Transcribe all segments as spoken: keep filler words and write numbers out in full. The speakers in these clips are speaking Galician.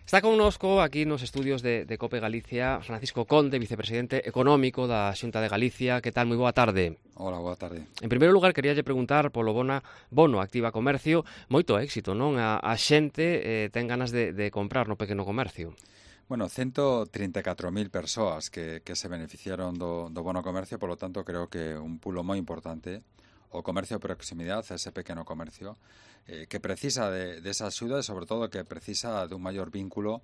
Está connosco aquí nos estudios de, de COPE Galicia Francisco Conde, vicepresidente económico da Xunta de Galicia. Que tal? Moi boa tarde. Hola, boa tarde. En primeiro lugar, queríalle preguntar polo bona, bono Activa Comercio. Moito éxito, non? A, a xente eh, ten ganas de, de comprar no pequeno comercio. Bueno, ciento treinta e catro mil persoas que, que se beneficiaron do, do bono comercio, por lo tanto, creo que un pulo moi importante o comercio de proximidade, ese pequeno comercio, eh, que precisa de, de esa axuda e, sobre todo, que precisa dun maior vínculo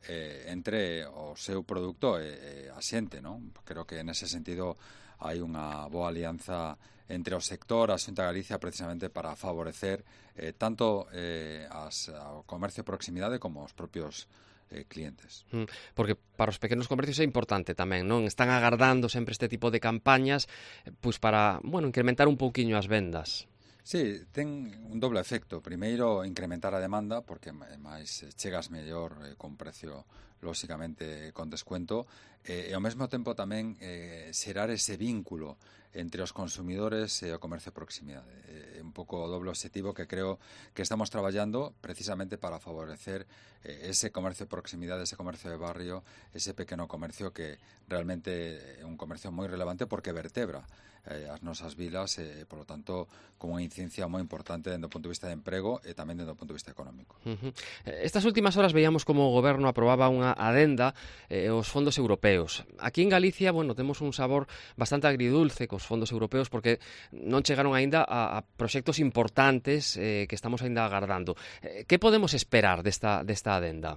eh, entre o seu produto e, e a xente, non? Creo que, nese sentido, hai unha boa alianza entre o sector, a Xunta de Galicia, precisamente para favorecer eh, tanto eh, as, ao comercio de proximidade como os propios eh, clientes. Porque para os pequenos comercios é importante tamén, non? Están agardando sempre este tipo de campañas pois para, bueno, incrementar un pouquiño as vendas. Sí, ten un doble efecto. Primeiro, incrementar a demanda, porque máis chegas mellor eh, con precio, lóxicamente, con descuento, eh, e ao mesmo tempo tamén eh, xerar ese vínculo entre os consumidores e o comercio de proximidade. É eh, un pouco o doble objetivo que creo que estamos traballando precisamente para favorecer eh, ese comercio de proximidade, ese comercio de barrio, ese pequeno comercio que realmente é un comercio moi relevante porque vertebra eh, as nosas vilas e, eh, por lo tanto, con unha incidencia moi importante dende o punto de vista de emprego e tamén dende o punto de vista económico. Uh-huh. Estas últimas horas veíamos como o Goberno aprobaba unha adenda eh, os fondos europeos. Aquí en Galicia, bueno, temos un sabor bastante agridulce cos fondos europeos porque non chegaron aínda a, a proxectos importantes eh, que estamos aínda agardando. Eh, que podemos esperar desta, desta adenda?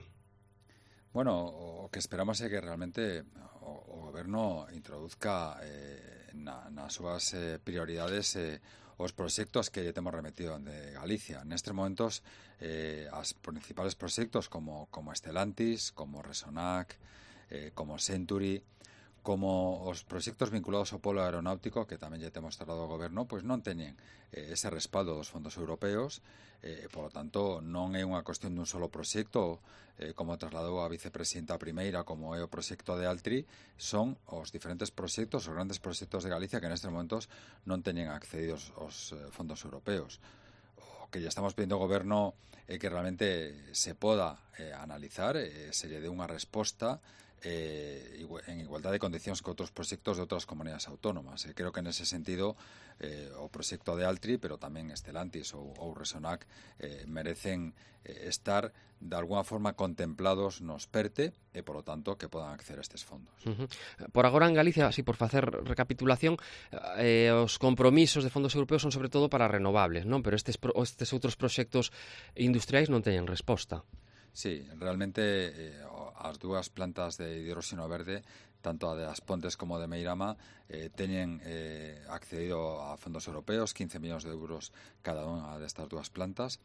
Bueno, o que esperamos é que realmente o, o Goberno introduzca eh, na, nas súas eh, prioridades eh, os proxectos que lle temos remetido de Galicia. Nestes momentos, eh, as principales proxectos como, como Estelantis, como Resonac, eh, como Century, como os proxectos vinculados ao polo aeronáutico, que tamén lle temos trasladado ao Goberno, pois non teñen eh, ese respaldo dos fondos europeos, eh, por lo tanto, non é unha cuestión dun solo proxecto, eh, como trasladou a vicepresidenta primeira, como é o proxecto de Altri, son os diferentes proxectos, os grandes proxectos de Galicia que nestes momentos non teñen accedidos aos eh, fondos europeos. O que lle estamos pedindo ao Goberno é que realmente se poda eh, analizar, eh, se lle dé unha resposta Eh, en igualdade de condicións que outros proxectos de outras comunidades autónomas. E creo que nese sentido eh, o proxecto de Altri, pero tamén Estelantis ou, ou Resonac eh, merecen eh, estar de alguna forma contemplados nos PERTE e, por lo tanto, que podan acceder a estes fondos. Uh-huh. Por agora en Galicia, así por facer recapitulación, eh, os compromisos de fondos europeos son sobre todo para renovables, non? Pero estes, estes outros proxectos industriais non teñen resposta. Sí, realmente eh, as dúas plantas de hidróxeno verde, tanto a de As Pontes como a de Meirama, eh, teñen eh, accedido a fondos europeos, quince millóns de euros cada unha destas dúas plantas,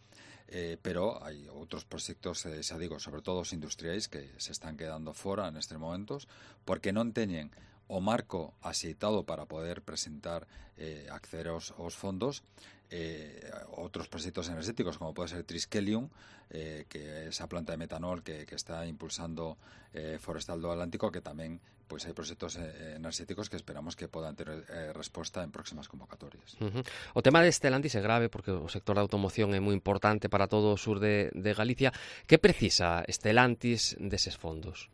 eh, pero hai outros proxectos, eh, xa digo, sobre todo os industriais, que se están quedando fora nestes momentos, porque non teñen o marco axeitado para poder presentar eh, acceder aos, aos fondos, eh, outros proxectos enerxéticos como pode ser Triskelium, eh, que é esa planta de metanol que, que está impulsando eh, Forestal do Atlántico, que tamén pois hai proxectos eh, enerxéticos que esperamos que podan ter eh, resposta en próximas convocatorias. Uh-huh. O tema de Estelantis é grave porque o sector da automoción é moi importante para todo o sur de, de Galicia. Que precisa Estelantis deses fondos?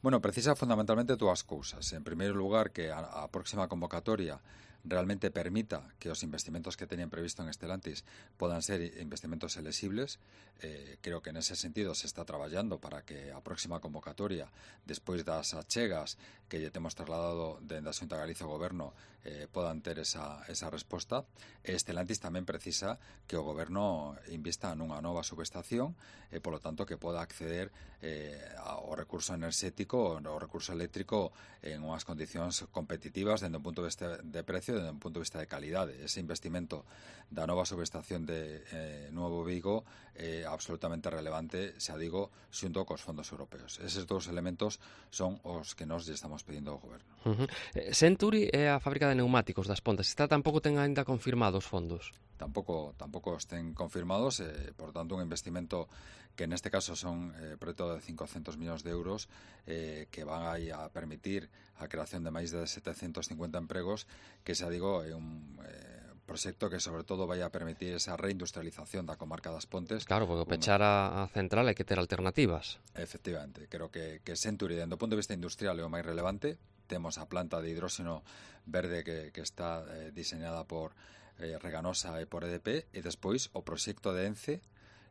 Bueno, precisa fundamentalmente dúas cousas. En primeiro lugar, que a, a próxima convocatoria realmente permita que os investimentos que teñen previsto en Estelantis podan ser investimentos elexibles. Eh, creo que nese sentido se está traballando para que a próxima convocatoria, despois das achegas que lle temos trasladado dende a Xunta de Galicia ao Goberno, eh, podan ter esa, esa resposta. E Estelantis tamén precisa que o Goberno invista nunha nova subestación e, polo tanto, que poda acceder eh, ao recurso enerxético, ao recurso eléctrico en unhas condicións competitivas dende un punto de vista de precio, dende un punto de vista de calidade. Ese investimento da nova subestación de eh, Nuevo Vigo é eh, absolutamente relevante, xa digo, xunto cos fondos europeos. Eses dous elementos son os que nós lle estamos pedindo ao Goberno. Uh-huh. Century é a fábrica de neumáticos das Pontes. Esta tampouco ten ainda confirmados fondos. Tampouco, tampouco estén confirmados, eh, por tanto, un investimento que neste caso son eh, preto de cincocentos millóns de euros eh, que van a permitir a creación de máis de setecentos cincuenta empregos, que xa digo, é un eh, proxecto que sobre todo vai a permitir esa reindustrialización da comarca das Pontes. Claro, porque pechar a, a central hai que ter alternativas. Efectivamente, creo que, que Century, dentro do punto de vista industrial, é o máis relevante. Temos a planta de hidróxeno verde que, que está eh, diseñada por eh, Reganosa e por E D P, e despois o proxecto de ENCE,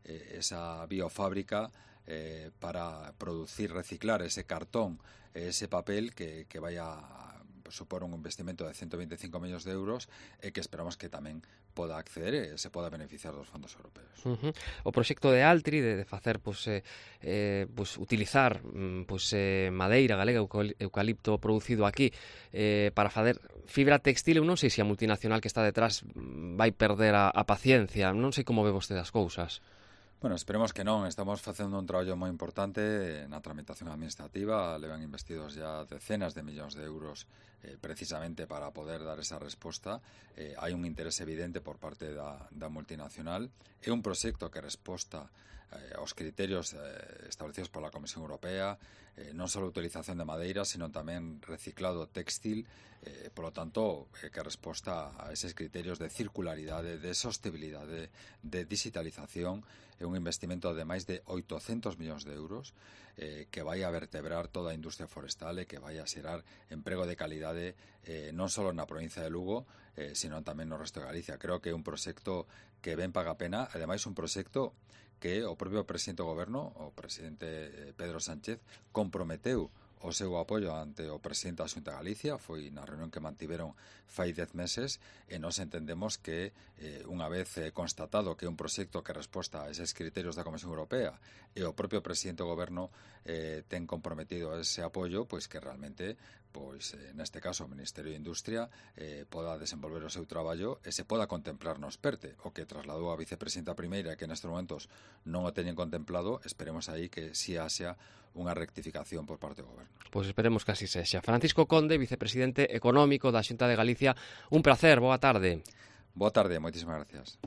eh, esa biofábrica eh, para producir, reciclar ese cartón, ese papel que, que vai a supor un investimento de ciento veinticinco millóns de euros e que esperamos que tamén poda acceder e se poda beneficiar dos fondos europeos. Uh-huh. O proxecto de Altri de, de facer, pues, eh, eh, pues, utilizar pues, eh, madeira galega, eucalipto producido aquí eh, para facer fibra textil, eu non sei se a multinacional que está detrás vai perder a, a paciencia, non sei como ve vostede as cousas. Bueno, esperemos que non. Estamos facendo un traballo moi importante na tramitación administrativa. Levan investidos ya decenas de millóns de euros eh, precisamente para poder dar esa resposta. Eh, hai un interés evidente por parte da, da multinacional. É un proxecto que resposta eh, aos criterios eh, establecidos pola Comisión Europea, eh, non só a utilización de madeira, sino tamén reciclado textil, eh, polo tanto, eh, que resposta a eses criterios de circularidade, de sostenibilidade, de digitalización. É un investimento de máis de oitocentos millóns de euros eh, que vai a vertebrar toda a industria forestal e que vai a xerar emprego de calidade eh, non só na provincia de Lugo, eh, sino tamén no resto de Galicia. Creo que é un proxecto que ben paga a pena, ademais un proxecto que o propio presidente do goberno, o presidente Pedro Sánchez, comprometeu o seu apoio ante o presidente da Xunta de Galicia. Foi na reunión que mantiveron fai dez meses e nos entendemos que eh, unha vez eh, constatado que é un proxecto que resposta a eses criterios da Comisión Europea e o propio presidente do goberno eh, ten comprometido ese apoio, pois que realmente pois eh, neste caso o Ministerio de Industria eh, poda desenvolver o seu traballo e se poda contemplar nos PERTE, o que trasladou a vicepresidenta primeira que nestes momentos non o teñen contemplado. Esperemos aí que si haxa unha rectificación por parte do goberno. Pois esperemos que así sexa. Francisco Conde, vicepresidente económico da Xunta de Galicia, un placer, boa tarde. Boa tarde, moitísimas gracias.